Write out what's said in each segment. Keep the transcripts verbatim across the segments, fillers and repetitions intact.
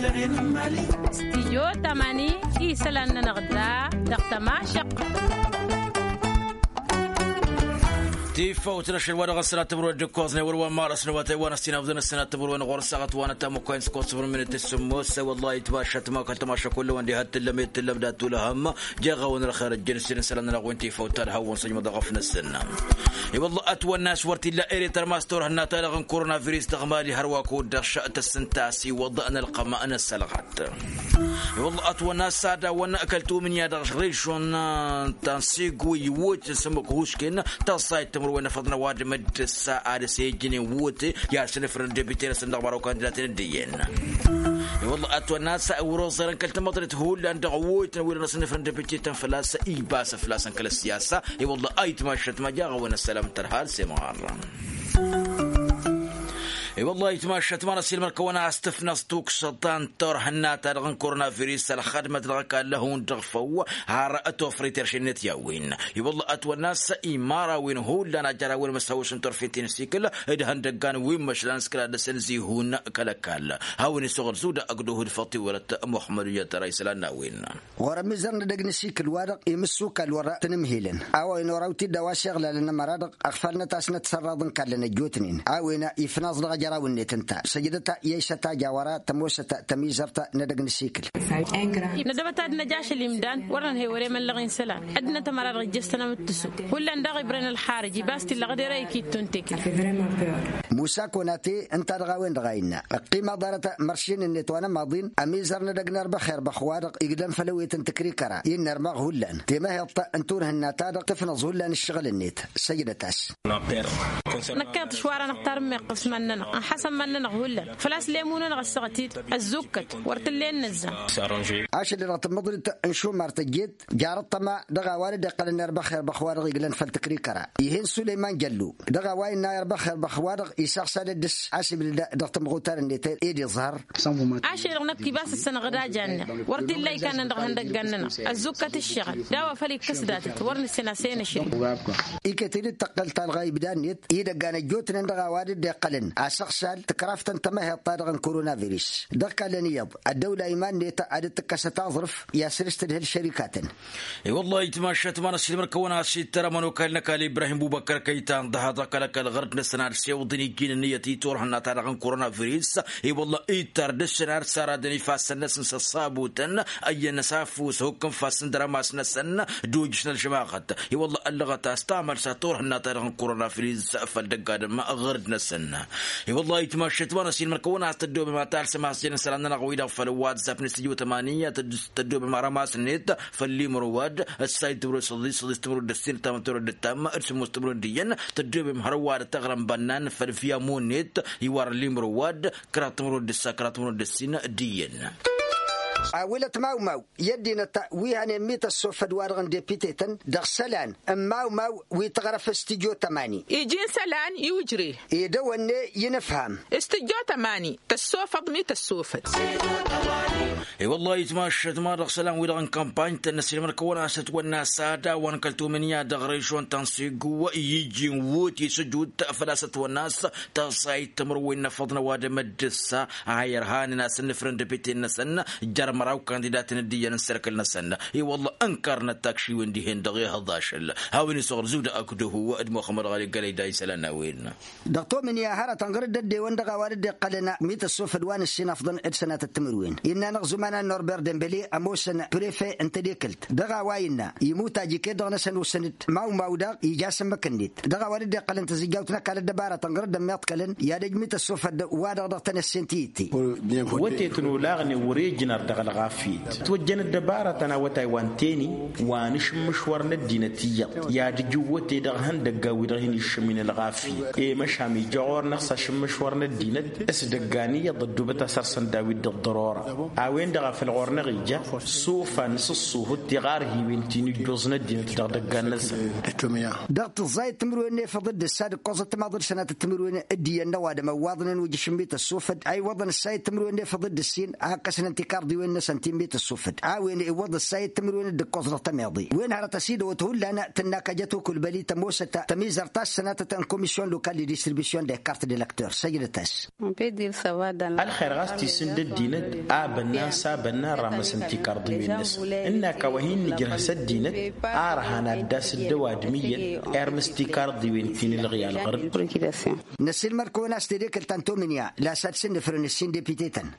Stijyo tamani isălan-nănăɣ da dăɣ-tămašăq. Tifawt n-ašăl wa dăɣ-s sănat timǝrwen d-ǝkkoẓnen wăr wa n-marăs n-awătay wa n-ăssinafḍăn ăssinat timǝrwen ɣur-saɣăt wa n-ătamăkkoyn s-kosăfr minit s-sǝmmos. Wăllahi itmašat ma kăl-tamaša kull-wăn diha t-tǝllăm i-t-tǝllăm dat-tulăhăm. Jeɣ-awăn ălxer ăjjăn isălan-nănăɣ wi n-tifawt ta d-hawăn-săjmăḍ ăɣăf-năsăn. I-wălla ătwănna a-s wăr t-illa ere tărmas turhǝnna-ta-dăɣ n-korona virus dăɣ-mali hărwa kud-dăɣ tăssǝnta a-s i-wăḍ n-ălqăm n-ăssălɣat. I-wălla ătwănna a-s ad-awăn kăl-tumǝnya dăɣ-režon ta n-sigu iwwăt s-ămmăk hušken. Tăẓẓayt timǝrwen n-afăḍ n-ăwadǝm d-ǝssa ad-s ejjǝnen wute i-ad-sǝnǝfrǝn debite-năsăn dăɣ-măraw kandidaten d-iyyăn. I-wălla ătwănna a-s wăr-oẓărăn kăl-tamăḍrit hullan dăɣ-wutăn wi dăɣ-năsnǝfrǝn debite-tăn făl-a-s ibas făl-a-săn kăl-ăssiyasa. I-wălla ayǝtmašăt ma jaɣ-awăn ăssălam tărhal s-emɣar. I-wălla ayǝtmašăt ma n-ăsilmăr kăwăn-as tǝfnăẓ tuksăḍ ta n-turhǝnna-ta-dăɣ n-korona virus ălxădmăt dăɣ-ăkall hundăɣ făw har tofrăy terše-net i-a-wen. I-wălla ătwănna a-s imărawen hullan a jăr a-wen măsăwăs n-turfent-in s-ikǝl d-ihăndăggan wi n-măšlan s-kăla dăr-săn zihun kăl-ăkall. Hawăn-isăɣăr zuda ăgg-duhud făṭṭi wălăt muḥămmăd ija tăra isălan n-a-wen. Ɣur-ămizăr n-edăgg n-asikǝl-wa-dăɣ imǝssukal wăr-tăn-ǝmhilăn a-wa inoraw-t-dd a-wa s-iɣlalăn ămăra-dăɣ ăɣfalnăt a-s năt-sărraḍ n-kallăn ăjjootnen a-wen ifnaẓ dăɣ-ajăraw-net ǝnta. Săjdăt i-ašăt a jaw ara tămoosăt tămizărt n-edăgg n-asikǝl. Nădăbăt ad-năj ašăl imdan wăr nănhăy wăr-emăllăɣ insălan ăddinăt ămăra-dăɣ ijjăs-tăn amǝttǝsu. Hullan daɣ ibrăn ălxarǝj ibas t-illa ɣǝd erăy ikittu n-tekǝl. Musa konate ǝnta-dăɣ a-wen-dăɣ a innă ăqqimaḍ arăt măršin-net wa n-ămaḍin ămizăr n-edăgg n-erbăx erbăx-wa-dăɣ igdăn făll-ewet n-tǝkrikăra innă ărmăɣ hullan temăheḍt n-turhǝnna-ta-dăɣ tǝfnăẓ hullan ǝššăɣǝl-net. Săjdăt-as. Năkkeḍ-t šwara-năɣ tarǝmmeɣt s-iman-nănăɣ ănḥasăn iman-nănăɣ hullan făl-a-s lemu-nănăɣ ăssaɣăt-dd ăzzukkăt wăr t-ǝllen nǝzzam. Ašăl-i-dăɣ tǝmmǝḍrit n-šumar tăjjet jarăt tăma dăɣ-a-wa dd-iqqălăn erbăx erbăx-wa-dăɣ iglăn făll-tǝkrikăra. Ih'-en sulăyman jăllu dăɣ-a-wa innă erbăx erbăx-wa-dăɣ isăɣsa d-dd-s asǝbdǝd dăɣ-timɣutar-net ed iẓhăr. Ašăl-i-dăɣ năkk ibas ǝssănăɣ d-aja-net wăr t-illa ikanăn dăɣ-ihăndăggan-nănăɣ ăzzukkăt ǝššăɣǝl d-a-wa făl ikkăs datăt wăr nǝssen a-s e-năšrǝm. Iket-dd tăqqăl talɣa ibda-net idăggan ăjjootnen dăɣ-a-wa dd-iqqălăn asăɣsal tǝkraft n-tămăheḍt-ta-dăɣ n-korona virus dăɣ-kallăn iyyăḍ ăddăwla iman-net ad-dd-tǝkkăsăt aẓrǝf i-asrǝs tǝdhǝl šărikatăn. I-wăllah itmašat ma n-ăsilmăr-kăwăn a-s ittăr ămănokal n-ăkall ibrahim bubăkkăr kăytan dăɣ-ha dăɣ-kăl-ăkall ɣăr-dd-năsăn ad-sewḍǝn ijjin ǝnniyăt i-turhǝnna-ta-dăɣ n-korona virus. I-wăllah ittăr dăɣ-săn ad-săradăn ifassăn-năsăn s-ăṣṣabutăn ăyyăn-năsafu s-hukk n-ifassăn d-rămas-năsăn d-ujǝš n-ălžămaɣăt. I-wăllah ăllăɣăt a-s tamălsa turhǝnna-ta-dăɣ n-korona virus făll-dăgg-adǝm ɣăr-dd-năsăn. I-wăllah itmašat ma n-ăsilmăr-kăwăn a-s tăddoobem ad-talsăm has-jăn isălan-nănăɣ-wi-dăɣ făll-whatsapp n-istijwăt ămani ad-tăddoobem arămas-net făll-imrǝwad ăssay timrǝwed săḍis săḍis timrǝwed d-ǝssin ǝttamăn timrǝwed d-ǝssin ăttamăn timrǝwed d-iyyăn. Tăddoobem hărwa d-taɣrămbănnan făll-fiyamu-net iwar limrǝwad kăraḍ timrǝwed d-ǝssa kăraḍ timrǝwed d-ǝssin d-iyyăn. Awǝlăt mawmaw i-ăddinăt wi hănen mi tăssofăd-wa-dăɣ n-depite-tăn dăɣ-isălan n-mawmaw wi tăɣrăf s-tijot ămani. Iji n-isălan iwǝjre. Ed ăwănne i-inǝfham. S-tijot ămani tăssofăḍ mi tăssofăd. I-wăllah itmašat ma dăɣ-isălan-wi-dăɣ n-kămpany-tăn n-ăssilmăr-kăwăn-as ătwănna s-ad-awăn kăl-tumǝnya dăɣ-režon ta n-siggu i-iji n-wut i-sujut făl-a-s ătwănna s-tăẓẓayt timǝrwen n-afăḍ n-ăwadǝm d-ǝssa a irhanen a-s ǝnnǝfrǝn depite-năsăn jer-măraw kandidaten d-iyyăn n-serkǝl-năsăn. I-wălla ǝnkărnăt takšiwen dihen dăɣ-ehăḍ ašăl. Hawăn-isăɣrǝz uda ăkdăhu d-muxămmăd ɣali gălăy da isălan n-a-wen. Dăɣ-tomǝnǝya hărătăn ɣur-dd ăddewăn dăɣ-a-wa dd-iqqălăn mi tăssofăd wa n-ǝssin afḍăn d-sănatăt timǝrwen innă-năɣ zuman a n-norber dembele ămoosăn prefe n-tedekǝlt dăɣ-a-wa innă imut ajǝket-dăɣ-năsăn osăn-dd mawmaw daɣ ija s-ǝmmǝk-net dăɣ-a-wa dd-iqqălăn tǝzǝjjawt n-ăkall ăddăbarătăn ɣur-dd ămmiḍkălăn i-ad-ăj mi tăssofăd wa-dăɣ dăɣ-tenăsse n-tiyǝtte. Wătetăn olaɣnen wăr-e ǝjnăr dăɣ-ălɣafyăt ătwăjjăn ăddăbarătăn awătay wa n-teni wa n-ašǝmmǝšwăr n-ăddinăt iyyăḍ i-ad-ǝjǝw wăte dăɣ-ihăndăggan-wi-dăɣ hin-iššǝmǝyăn ălɣafyăt i-măšan ija ɣur-năɣ s-ašǝmmǝšwăr n-ăddinăt s-idăggan iyyăḍ ăddoobăt asăr-săn daw-dd ăḍḍărora. A-wen-dăɣ a făl ɣur-năɣ ija s-ufan s-ǝṣṣuhǝt tiɣarhiwen ti n-ǝjjoẓ n-ăddinăt dăɣ-idăggan-năsăn. Dăɣ-tǝẓẓayăt timǝrwen n-efăḍ d-ǝssa d-ǝkkoẓăt timaḍul sănatăt timǝrwen d-iyyăn n-ăwadǝm ăwwaḍnen ujǝšǝm mi tăssofăd a iwwăḍăn ǝssayăt timǝrwen n-efăḍ d-ǝssin a ǝkkăsnen tikarḍiwen. n-asăn timmit ăssufăd a-wen iwwăḍ ăssayăt timǝrwen d-ǝkkoẓ dăɣ-tămeḍe wen hărăt ăsidăwăt hullan tǝnna kăjăt ukǝl băli tămoosăt tamizărt ta s-sănatăt n-komisyon lokal d-distribution d-ekart d-elektör săjdăt-as. Ălxer ɣas tisǝnd ăddinăt a bănnan s-a bănnan ramăsăn tikarḍiwen-năsăn ǝnnak a-wa hin-nǝjrăh s-ăddinăt. Ar ăhan ad-dd-asǝddăw adǝm iyyăn irmǝs tikarḍiwen ti n-ǝlɣǝy alɣărd. Năssiilmăr-kăwăn a-s tedekălt ta n-tomǝnǝya la s-ad-sǝnnǝfrǝn ǝssin depitetăn.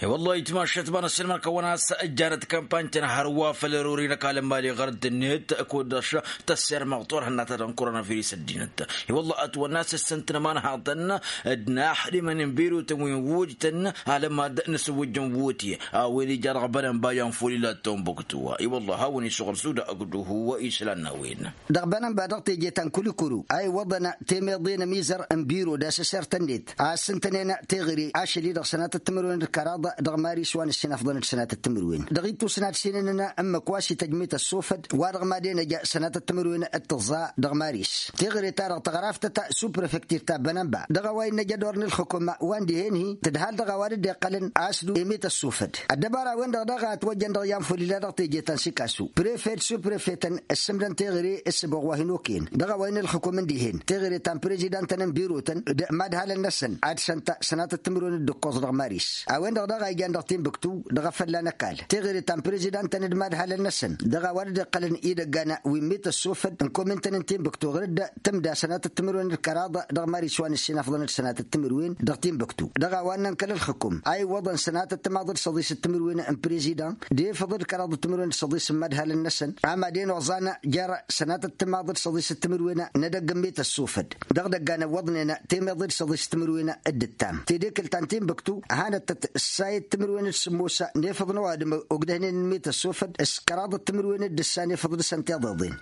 I-wăllah itmašat ma n-ăssiilmăr-kăwăn a-s ǝjjanăt kampany-tăn hărwa făll-erori n-ăkall n-imali ɣărădd-net kud-dăɣ tăssermăɣ turhǝnna ta dăɣ-n koronavirus ăddinăt. I-wăllah ătwănna a-s ǝssǝntǝnăm anhăḍăn d-inaxdimăn n-birutăn wi n-wujtăn alămad n-asǝwwǝjjăn wote a-wen ija dăɣ-bănănba i-anfulila d-tombuktu. I-wăllah a-wen isuɣăl suda ăgg-duhu islan n-a-wen. Dăɣ-bănănba dăɣ-teje ta n-kulikuru a iwwăḍăn temeḍe n-ămizăr n-biro d-asăsert-net a ăssǝntănen teɣăre ašăl-i-dăɣ sănatăt timǝrwen d-kăraḍ dăɣ-maris wa n-ăssinafḍăn d-sănatăt timǝrwen dăɣ-ittus n-ad-sinănăn ǝmmǝk wa s-ităjmet ăssofăd wa dăɣ-mad-enăj sănatăt timǝrwen d-tǝẓẓa dăɣ-maris. Teɣăre-ta-dăɣ tăɣraft ta s-uprefektir ta bănănba dăɣ-a-wa innă jădor n-ǝlxǝkǝm wa n-dihen-hi tǝdhal dăɣ-a-wa dd-iqqălăn a-s dd-emet ăssofăd. Ăddăbara-wen-dăɣ daɣ a ătwăjjăn dăɣ-i anfulila dăɣ-teje ta n-sikasu prefed suprefetăn ǝssǝmdăn teɣăre s-ǝboɣ wa hin-okăyăn dăɣ-a-wa innă ǝlxǝkǝm n-dihen teɣăre ta n-prezidantăn n-birotăn d-imadhalăn-năsăn ad-săn ta sănatăt timǝrwen d-ǝkkoẓ dăɣ-maris. A-wen-dăɣ daɣ a ijan dăɣ-tinbǝktu dăɣ-afălla n-ăkall teɣăre ta n-prezidantăn d-imadhalăn-năsăn dăɣ-a-wa dd-iqqălăn idăggan wi n-met ăssofăd n-komintăn n-tinbǝktu ɣǝr-dd tǝmda sănatăt timǝrwen d-kăraḍ dăɣ-maris wa n-ăssinafḍăn d-sănatăt timǝrwen dăɣ-tinbǝktu dăɣ-a-wa n-nănkăl ǝlxǝkǝm a iwwăḍăn sănatăt timaḍ d-săḍis d-timǝrwen n-prezidant d-efăḍ d-kăraḍ d-timǝrwen d-săḍis n-imadhalăn-năsăn. Amadăn oẓan jer sănatăt timaḍ d-săḍis d-timǝrwen n-edăgg n-met ăssofăd dăɣ-idăggan ăwwăḍnen temeḍe d-săḍis d-timǝrwen d-ǝttam tedekǝlt ta n-tinbǝktu hanăt-tăt ǝssayăt timǝrwen d-sǝmmos n-efăḍ n-ăwadǝm ogdăhnen n-met ăssofăd s-kăraḍ d-timǝrwen d-ǝssa n-efăḍ dăɣ-săn tiḍeḍen.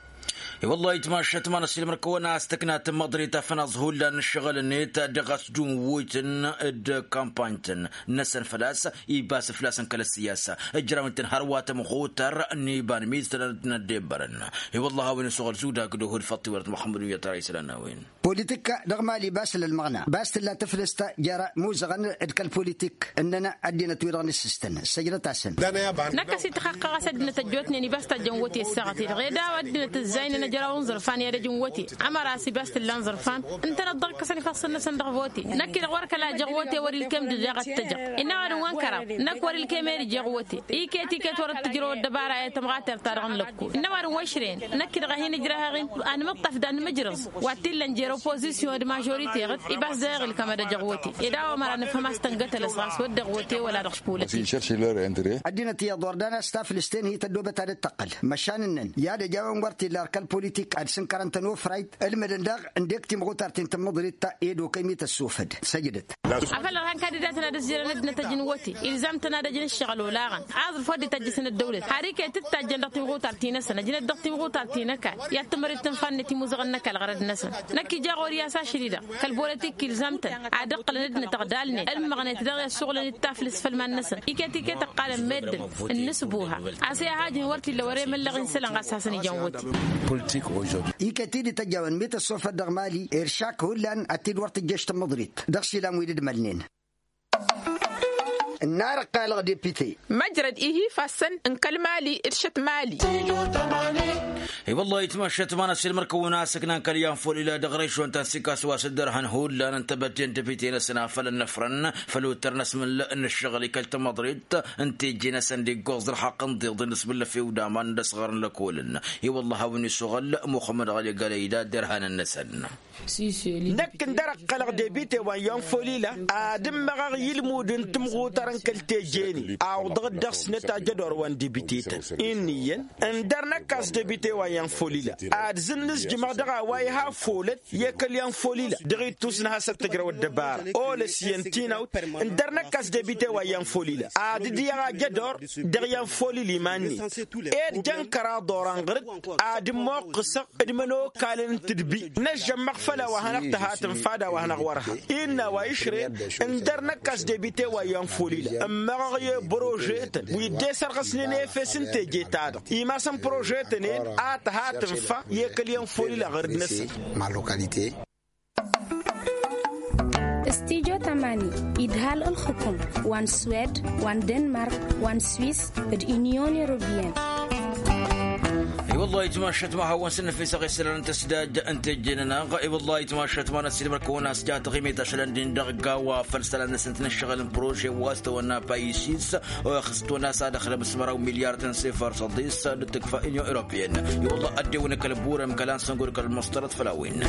I-wăllah itmašat ma n-ăssiilmăr-kăwăn a-s tǝkna tǝmmăḍrit a fănaẓ hullan n-ǝššăɣǝl-net dăɣ-a-s jun wǝjtăn d-kampany-tăn-năsăn făl-a-s ibas făl-a-s n-kăl-ăssiyasa ǝjraw-in-tăn hărwa tămɣutar n-iba n-miztăn ad-dd-năddebbărăn. I-wăllah a-wen isuɣăl zudag d-uhǝd făṭṭi wăr-t muxămmăd n-iyyăt ara isălan n-a-wen. Politik dăɣ-mali bas ǝlălmăɣna bas tǝlla tǝflǝst jer-imuzăɣăn d-kăl-politik ǝnnăn ăddinăt-wi-dăɣ n-issǝstăn săjdăt-asăn. Năkk a-s ităxăqqăɣ a-s ăddinăt ăjjootnen ibas tajjăn wote ǝssaɣăt-i-dăɣ ed a-wa ăddinăt ǝzzaynen ăjraw n-iẓărfan i-ad-ăj n-wote ămăra a-s ibas t-illa n-iẓărfan ǝntănăt ḍarkăsăn ifassăn-năsăn dăɣ-vote. Năkk-i-dăɣ wăr kăla ăjăɣ wote wăr-ilkem d-izeɣ ad-t-ăjăɣ. Innă ăwadǝm wa n-kăraḍ năkk wăr-ilkem ed ijeɣ wote. Iket iket wăr-dd-tǝjrăw ăddăbara i-tămɣater-ta-dăɣ n-lăkku. Innă ăwadǝm wa ǝšrăyăn năkk-i-dăɣ a hin-ǝjrăhăɣ-in. Ad-nǝmǝṭṭăf d-ad-nǝmǝjrăẓ wa t-illăn jer-opozisyon d-mažorite ɣǝd ibas dăɣ-i ɣǝlkăm ad-ăjăɣ wote. Ed a-wa măra nǝfhăm a-s tăngătălăs ɣas wădden wote wăla dăɣ-s polătik. Ăddinăt iyyăḍ wăr dan a-s taflǝst-en hi-tăddobăt ad-dd-tăqqăl măšan ǝnnăn i-ad-ăj a-wen wăr t-illa ar kăl-politik ad-sǝnkărăn-tăn ofrayt ǝlmǝdăn daɣ ǝndek timɣutar ti n-tǝmmǝḍrit ta ed okăy mi-tăssofăd săjdăt. Afăl ărhan kandidatăn ad-ǝzzerăn ăddinăt ăj n-wote ilzam-tăn ad-ăj n-ǝššăɣǝl olaɣăn aẓrǝf wăr dd-itajjǝsăn ăddăwlăt har iket t-tajjăn dăɣ-timɣutar-ti-năsăn ăjnăt dăɣ-timɣutar ti n-ăkall i-ad-tǝmmărit tǝnfa-net imuzăɣăn n-ăkall ɣărăd-năsăn. Năkk ija ɣur-i a-s ašăl-i-dăɣ kăl-bolotik ilzam-tăn ad-ǝqqǝlăn ăddinăt ăɣdalnen ălmăɣnet daɣ i-ăssuɣlăn d-taflǝst făll-iman-năsăn iket iket ăqqalăn meddǝn ǝnnǝsbuha. A-s i-ad-hajǝn wăr t-illa wăr-emăllăɣ insălăn ɣas hasăn-ijan wăti. Iket-i d-ităjjawăn mi tăssofăt dăɣ-mali iršak hullan ad-t-dd-wăr tǝjjăš tămmăḍrit dăɣ-išilan wi dd-mălnen. Ǝnnar ăqqalăɣ depite. Măjrăd ihi ifassăn n-kăl-mali d-šăt mali. I-wăllah itmăššăt ma n-ăssiilmăr-kăwăn a-s ǝknan kăl-i-anfulila dăɣ-režon ta n-sikas wa s-dd-ărhăn hullan n-tebădde n-depite-năsăn a făl ănnăfrăn făll-uttăr n-asmǝl n-ǝššăɣǝl i-kăl-tamăḍrit n-teje-năsăn d-iggoẓ dăr-haqqăn d-iḍǝn d-asmǝl lăfew d-aman d-ăsɣăr n-lăkolăn. I-wăllah a-wen isuɣăl muxămmăd ɣali gălăyda d-irhanăn-năsăn. Năkk ǝndăr ăqqălăɣ debite wa n-iyyăn folila ad-ǝmmăɣăɣ i-ǝlmud n-timɣutar n-kăl-teje-ni awǝḍăɣ-dd dăɣ-snăt ajădor wa n-debitetăn. Inn'-iyyăn ǝndăr năkk a-s debite wa n-iyyăn folila ad-zǝnnǝzjǝmăɣ dăɣ-a-wa iha folăt i-kăl-iyyăn folila dăɣ-ittus n-hasăt tǝjrăw ăddăbara olăs iyyăn tinawt. Ǝndăr năkk a-s debite wa n-iyyăn folila ad-dd-iyyăɣ ajădor dăɣ-iyyăn folila iman-net. Ed jăn kăraḍ oran ɣăr-dd ad-ǝmmoqqǝsăɣ d-imănokalăn n-tǝdbi năžžămmăɣ făll-a-wa hanăɣ-tǝha tǝnfa d-a-wa hanăɣ-wăr-ha. Innă a-wa išrăyăn ǝndăr năkk a-s debite wa iyyăn folila ǝmmăɣăɣ i-prožetăn wi dd-esărɣăsnen efes n-teje-ta-dăɣ imasăn prožetăn-en a tǝha tǝnfa i-kăl-iyyăn folila ɣăr-dd-năsăn. Studyo. Tamani, idhal ălxukum wa n-swed, wa n-denmark, wa n-swis, d-inyon europiyăn. I-wăllah itmašat ma hawăn s-năfisăɣ isălan n-tăsdad n-tejjănănăɣ. I-wăllah itmašat ma n-ăssiilmăr kăwăn-as jatăɣ imet ašălăn d-indăɣ gawa făll-isălan-năsăn tinăššăɣăl n-prože wa s-tăwănna payis-is. Oxǝs tăwănna s-ad-ăxlăm s-măraw milyar tăn-sefăr săḍis d-tǝkfa inyon europiyăn. I-wăllah ăddewăn kăl-burăm kăla n-săngur kăl-măstărăt făll-a-wen.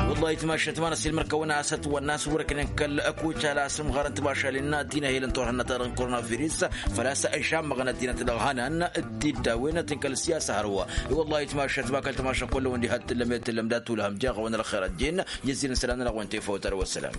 I-wăllah itmašat ma n-ăssiilmăr kăwăn-as ătwănna s-wăr-ǝknen kăl-ăkuca la s-ǝmɣarăn timašalen ti n-ehel n-turhǝnna ta dăɣ-n koronavirus. Făl-a-s ăžammăɣăn ăddinăt dăɣ-hanan d-tiddawen tǝnkăl siyasa hărwa. I-wăllah itmašat ma kăl-tămašăɣ kull-ăwăn diha t-tǝllăm i-tǝllăm dat-tulhăm jeɣ-awăn ălxer ăjjeen. Iyyăzilăn sălam-nănăɣ wa n-tefawt ar wa sălam.